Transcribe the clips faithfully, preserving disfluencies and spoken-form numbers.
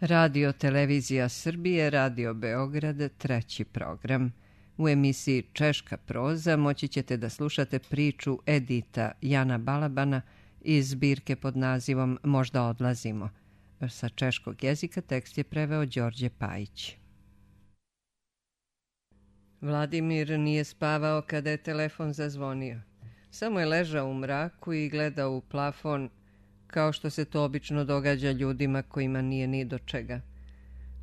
Radio Televizija Srbije, Radio Beograd, treći program. U emisiji Češka proza moći ćete da slušate priču Edita Jana Balabana iz zbirke pod nazivom Možda odlazimo. Sa češkog jezika tekst je preveo Đorđe Pajić. Vladimir nije spavao kada je telefon zazvonio. Samo je ležao u mraku i gledao u plafon, kao što se to obično događa ljudima kojima nije ni do čega.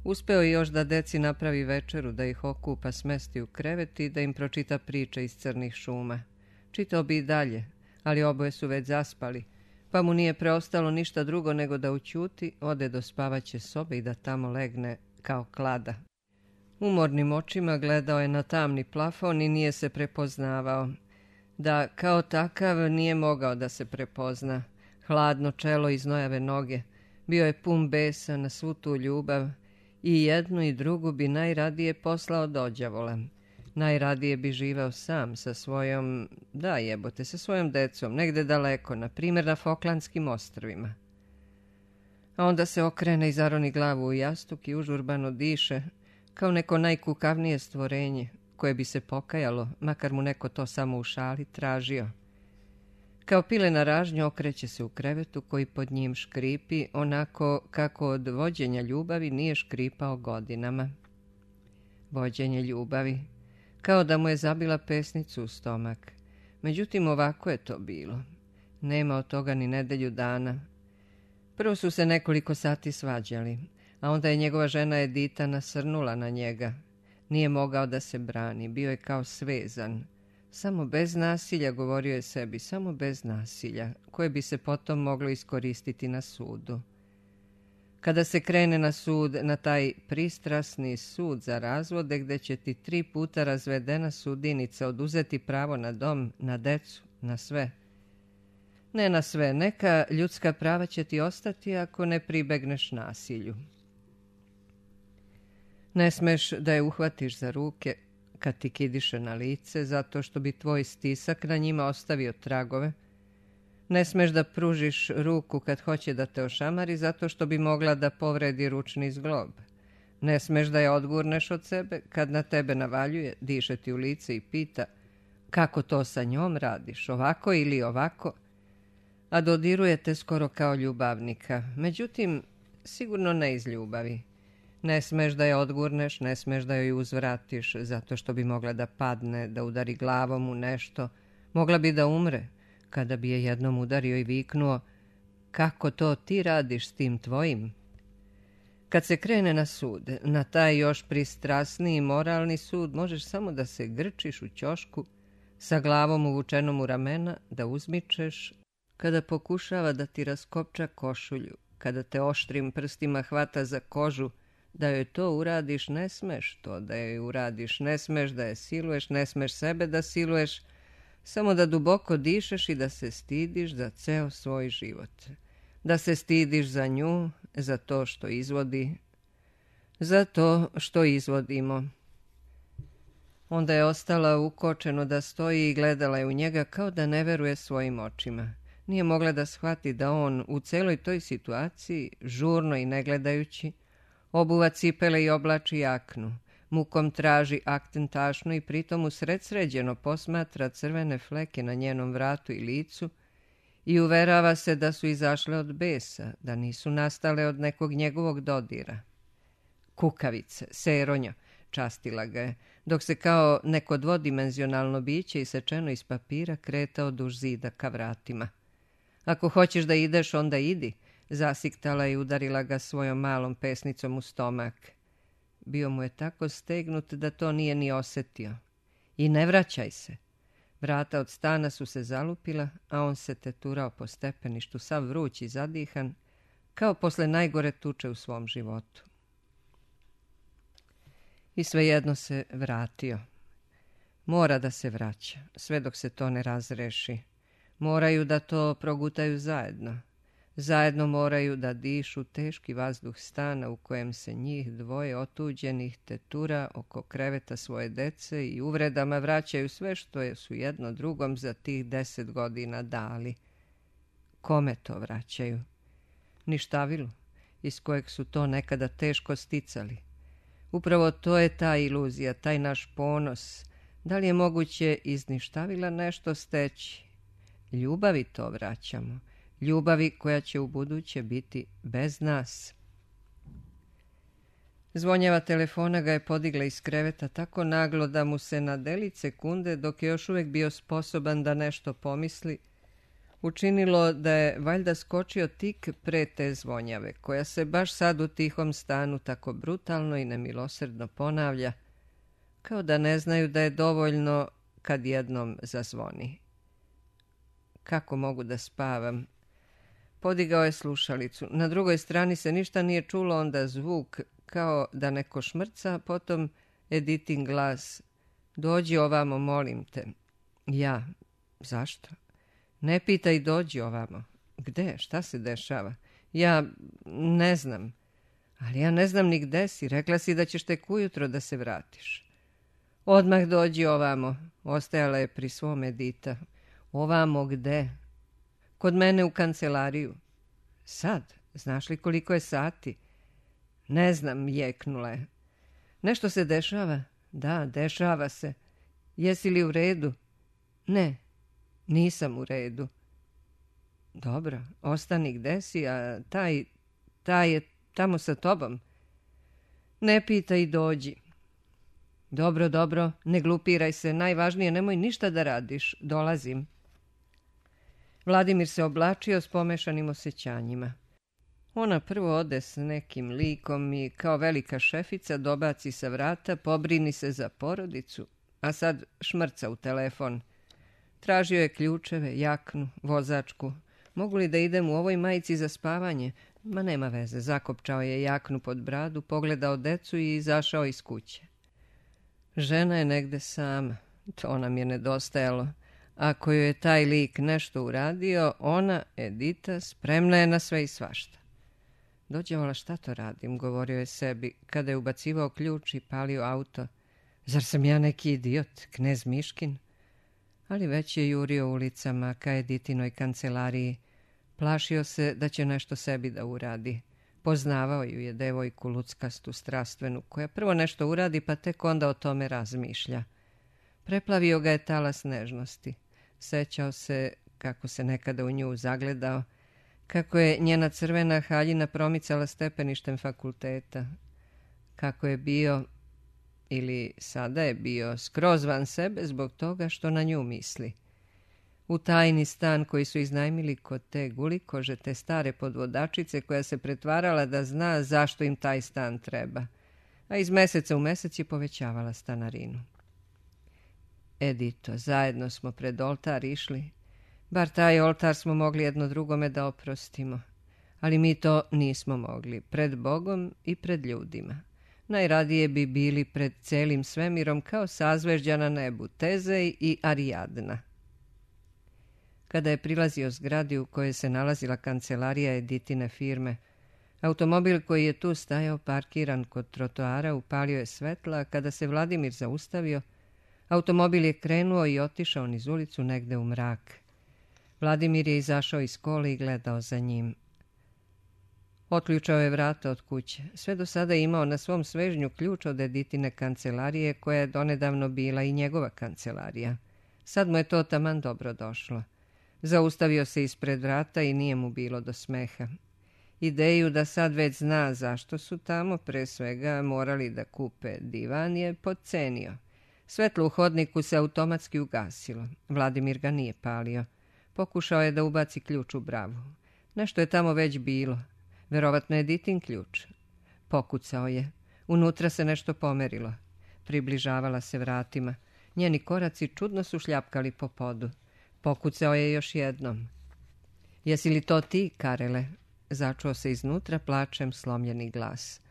Uspeo je još da deci napravi večeru, da ih okupa, smesti u krevet i da im pročita priče iz Crnih šuma. Čitao bi i dalje, ali oboje su već zaspali, pa mu nije preostalo ništa drugo nego da ućuti, ode do spavaće sobe i da tamo legne kao klada. Umornim očima gledao je na tamni plafon i nije se prepoznavao. Da, kao takav nije mogao da se prepozna. Hladno čelo i znojave noge. Bio je pun besa na svu tu ljubav i jednu i drugu bi najradije poslao do đavola. Najradije bi živeo sam sa svojom, da jebote, sa svojom decom, negde daleko, na primjer na Foklandskim ostrvima. A onda se okrene i zaroni glavu u jastuk i užurbano diše, kao neko najkukavnije stvorenje, koje bi se pokajalo, makar mu neko to samo u šali tražio. Kao pile na ražnju okreće se u krevetu koji pod njim škripi, onako kako od vođenja ljubavi nije škripao godinama. Vođenje ljubavi, kao da mu je zabila pesnicu u stomak. Međutim, ovako je to bilo. Nema od toga ni nedelju dana. Prvo su se nekoliko sati svađali, a onda je njegova žena Edita nasrnula na njega. Nije mogao da se brani, bio je kao svezan. Samo bez nasilja, govorio je sebi, samo bez nasilja, koje bi se potom moglo iskoristiti na sudu. Kada se krene na sud, na taj pristrasni sud za razvode, gde će ti tri puta razvedena sudinica oduzeti pravo na dom, na decu, na sve. Ne na sve, neka ljudska prava će ti ostati ako ne pribegneš nasilju. Ne smeš da je uhvatiš za ruke kad ti kidiše na lice, zato što bi tvoj stisak na njima ostavio tragove. Ne smeš da pružiš ruku kad hoće da te ošamari, zato što bi mogla da povredi ručni zglob. Ne smeš da je odgurneš od sebe kad na tebe navaljuje, diše ti u lice i pita kako to sa njom radiš, ovako ili ovako, a dodiruje te skoro kao ljubavnika. Međutim, sigurno ne iz ljubavi. Ne smeš da je odgurneš, ne smeš da joj uzvratiš, zato što bi mogla da padne, da udari glavom u nešto. Mogla bi da umre, kada bi je jednom udario i viknuo kako to ti radiš s tim tvojim. Kad se krene na sud, na taj još pristrasniji moralni sud, možeš samo da se grčiš u ćošku, sa glavom uvučenom u ramena, da uzmičeš, kada pokušava da ti raskopča košulju, kada te oštrim prstima hvata za kožu, da joj to uradiš, ne smeš to da joj uradiš, ne smeš da je siluješ, ne smeš sebe da siluješ, samo da duboko dišeš i da se stidiš za ceo svoj život. Da se stidiš za nju, za to što izvodi, za to što izvodimo. Onda je ostala ukočeno da stoji i gledala je u njega kao da ne veruje svojim očima. Nije mogla da shvati da on u celoj toj situaciji, žurno i ne gledajući, obuva cipele i oblači jaknu, mukom traži akten tašnu i pritom usredsređeno posmatra crvene fleke na njenom vratu i licu i uverava se da su izašle od besa, da nisu nastale od nekog njegovog dodira. Kukavice, seronjo, častila ga je, dok se kao neko dvodimenzionalno biće isečeno iz papira kretao duž zida ka vratima. Ako hoćeš da ideš, onda idi, zasiktala i udarila ga svojom malom pesnicom u stomak. Bio mu je tako stegnut da to nije ni osetio. I ne vraćaj se. Vrata od stana su se zalupila, a on se teturao po stepeništu, sav vruć i zadihan, kao posle najgore tuče u svom životu. I svejedno se vratio. Mora da se vraća, sve dok se to ne razreši. Moraju da to progutaju zajedno. Zajedno moraju da dišu teški vazduh stana u kojem se njih dvoje otuđenih tetura oko kreveta svoje dece i uvredama vraćaju sve što su jedno drugom za tih deset godina dali. Kome to vraćaju? Ništavilu, iz kojeg su to nekada teško sticali. Upravo to je ta iluzija, taj naš ponos. Da li je moguće iz ništavila nešto steći? Ljubavi to vraćamo. Ljubavi koja će u buduće biti bez nas. Zvonjava telefona ga je podigla iz kreveta tako naglo da mu se na delić sekunde, dok je još uvijek bio sposoban da nešto pomisli, učinilo da je valjda skočio tik pre te zvonjave, koja se baš sad u tihom stanu tako brutalno i nemilosrdno ponavlja, kao da ne znaju da je dovoljno kad jednom zazvoni. Kako mogu da spavam? Podigao je slušalicu. Na drugoj strani se ništa nije čulo, onda zvuk kao da neko šmrca, potom Editin glas. Dođi ovamo, molim te. Ja. Zašto? Ne pitaj, dođi ovamo. Gde? Šta se dešava? Ja ne znam. Ali ja ne znam ni gde si. Rekla si da ćeš tek ujutro da se vratiš. Odmah dođi ovamo. Ostajala je pri svom Edita. Ovamo gde? Kod mene u kancelariju. Sad? Znaš li koliko je sati? Ne znam, jeknula je. Nešto se dešava? Da, dešava se. Jesi li u redu? Ne, nisam u redu. Dobro, ostani gde si, a taj, taj je tamo sa tobom. Ne pitaj, dođi. Dobro, dobro, ne glupiraj se, najvažnije, nemoj ništa da radiš, dolazim. Vladimir se oblačio s pomešanim osjećanjima. Ona prvo ode s nekim likom i kao velika šefica dobaci sa vrata, pobrini se za porodicu, a sad šmrca u telefon. Tražio je ključeve, jaknu, vozačku. Mogu li da idem u ovoj majici za spavanje? Ma nema veze, zakopčao je jaknu pod bradu, pogledao decu i izašao iz kuće. Žena je negde sama, to nam je nedostajalo. Ako joj je taj lik nešto uradio, ona, Edita, spremna je na sve i svašta. Dođe vola, šta to radim, govorio je sebi, kada je ubacivao ključ i palio auto. Zar sam ja neki idiot, knez Miškin? Ali već je jurio ulicama ka Editinoj kancelariji. Plašio se da će nešto sebi da uradi. Poznavao ju je devojku luckastu, strastvenu, koja prvo nešto uradi pa tek onda o tome razmišlja. Preplavio ga je talas nežnosti. Sećao se kako se nekada u nju zagledao, kako je njena crvena haljina promicala stepeništem fakulteta, kako je bio, ili sada je bio, skroz van sebe zbog toga što na nju misli. U tajni stan koji su iznajmili kod te gulikože, te stare podvodačice koja se pretvarala da zna zašto im taj stan treba, a iz meseca u mesec je povećavala stanarinu. Edito, zajedno smo pred oltar išli. Bar taj oltar smo mogli jedno drugome da oprostimo. Ali mi to nismo mogli, pred Bogom i pred ljudima. Najradije bi bili pred celim svemirom kao sazvežđa na nebu, Tezej i Arijadna. Kada je prilazio zgradi u kojoj se nalazila kancelarija Editine firme, automobil koji je tu stajao parkiran kod trotoara upalio je svetla, a kada se Vladimir zaustavio, automobil je krenuo i otišao niz ulicu negde u mrak. Vladimir je izašao iz kole i gledao za njim. Otključao je vrata od kuće. Sve do sada je imao na svom svežnju ključ od Editine kancelarije, koja je donedavno bila i njegova kancelarija. Sad mu je to taman dobro došlo. Zaustavio se ispred vrata i nije mu bilo do smeha. Ideju da sad već zna zašto su tamo, pre svega morali da kupe divan, je podcenio. Svetlo u hodniku se automatski ugasilo. Vladimir ga nije palio. Pokušao je da ubaci ključ u bravu. Nešto je tamo već bilo. Verovatno je Editin ključ. Pokucao je. Unutra se nešto pomerilo. Približavala se vratima. Njeni koraci čudno su šljapkali po podu. Pokucao je još jednom. Jesi li to ti, Karele? Začuo se iznutra plačem slomljeni glas.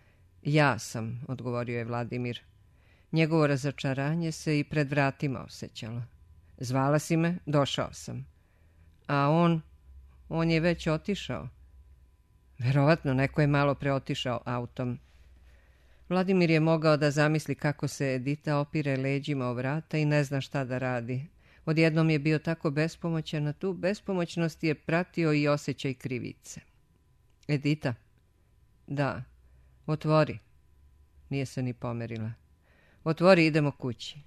Ja sam, odgovorio je Vladimir. Njegovo razočaranje se i pred vratima osjećalo. Zvala si me, došao sam. A on, on je već otišao. Verovatno neko je malo preotišao autom. Vladimir je mogao da zamisli kako se Edita opire leđima o vrata i ne zna šta da radi. Odjednom je bio tako bespomoćan, a tu bespomoćnost je pratio i osjećaj krivice. Edita. Da. Otvori. Nije se ni pomerila. Otvori, idemo kući.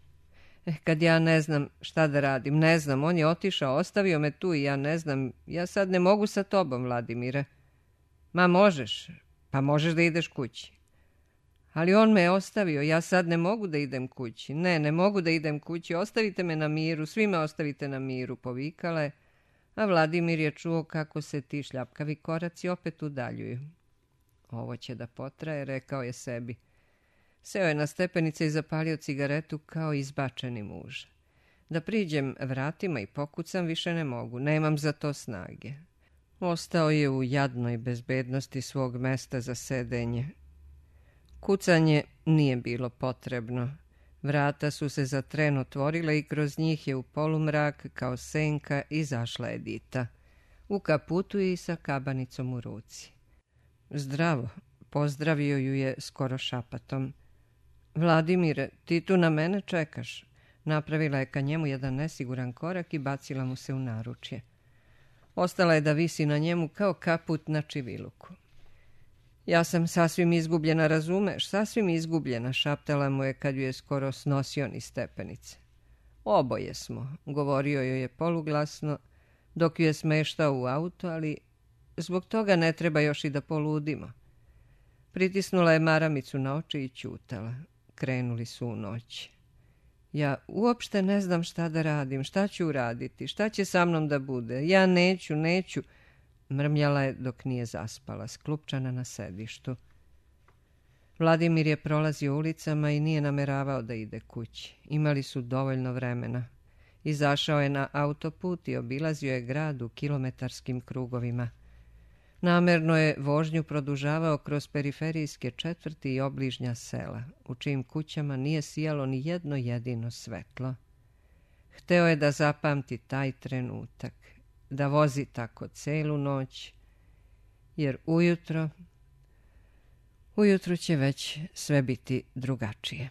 Eh, kad ja ne znam šta da radim, ne znam, on je otišao, ostavio me tu i ja ne znam, ja sad ne mogu sa tobom, Vladimire. Ma možeš, pa možeš da ideš kući. Ali on me je ostavio, ja sad ne mogu da idem kući. Ne, ne mogu da idem kući, ostavite me na miru, svi me ostavite na miru, povikala je, a Vladimir je čuo kako se ti šljapkavi koraci opet udaljuju. Ovo će da potraje, rekao je sebi. Seo je na stepenice i zapalio cigaretu kao izbačeni muž. Da priđem vratima i pokucam više ne mogu, nemam za to snage. Ostao je u jadnoj bezbednosti svog mesta za sedenje. Kucanje nije bilo potrebno. Vrata su se za tren otvorile i kroz njih je u polumrak kao senka izašla Edita. U kaputu i sa kabanicom u ruci. Zdravo, pozdravio ju je skoro šapatom. Vladimire, ti tu na mene čekaš. Napravila je ka njemu jedan nesiguran korak i bacila mu se u naručje. Ostala je da visi na njemu kao kaput na čiviluku. Ja sam sasvim izgubljena, razumeš, sasvim izgubljena, šaptala mu je kad ju je skoro snosio niz stepenice. Oboje smo, govorio joj je poluglasno, dok ju je smeštao u auto, ali zbog toga ne treba još i da poludimo. Pritisnula je maramicu na oči i ćutala. Krenuli su u noć. Ja uopšte ne znam šta da radim, šta ću uraditi, šta će sa mnom da bude. Ja neću, neću, mrmljala je dok nije zaspala, sklupčana na sedištu. Vladimir je prolazio ulicama i nije nameravao da ide kući. Imali su dovoljno vremena. Izašao je na autoput i obilazio je grad u kilometarskim krugovima. Namerno je vožnju produžavao kroz periferijske četvrti i obližnja sela, u čijim kućama nije sijalo ni jedno jedino svetlo. Hteo je da zapamti taj trenutak, da vozi tako celu noć, jer ujutro, ujutro će već sve biti drugačije.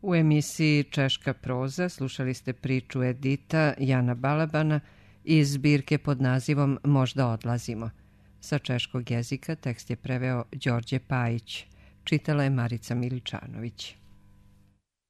U emisiji Češka proza slušali ste priču Edita Jana Balabana iz zbirke pod nazivom Možda odlazimo. Sa češkog jezika tekst je preveo Đorđe Pajić. Čitala je Marica Miličanović.